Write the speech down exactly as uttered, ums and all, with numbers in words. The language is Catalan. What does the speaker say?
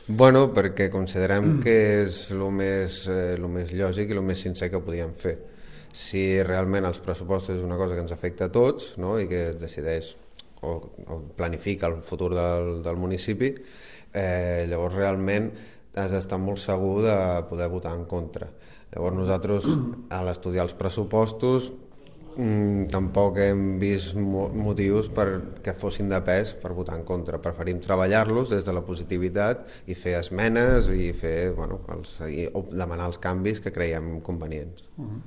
Bueno, perquè considerem que és el més, eh, el més lògic i el més sincer que podíem fer. Si realment els pressupostos és una cosa que ens afecta a tots, no?, i que es decideix o, o planifica el futur del, del municipi, eh, llavors realment has d'estar molt segur de poder votar en contra. Llavors nosaltres, a l'estudiar els pressupostos, mm, tampoc hem vist mo motius per que fossin de pes per votar en contra. Preferim treballar-los des de la positivitat i fer esmenes i fer, bueno, els, i, o demanar els canvis que creiem convenients. Uh -huh.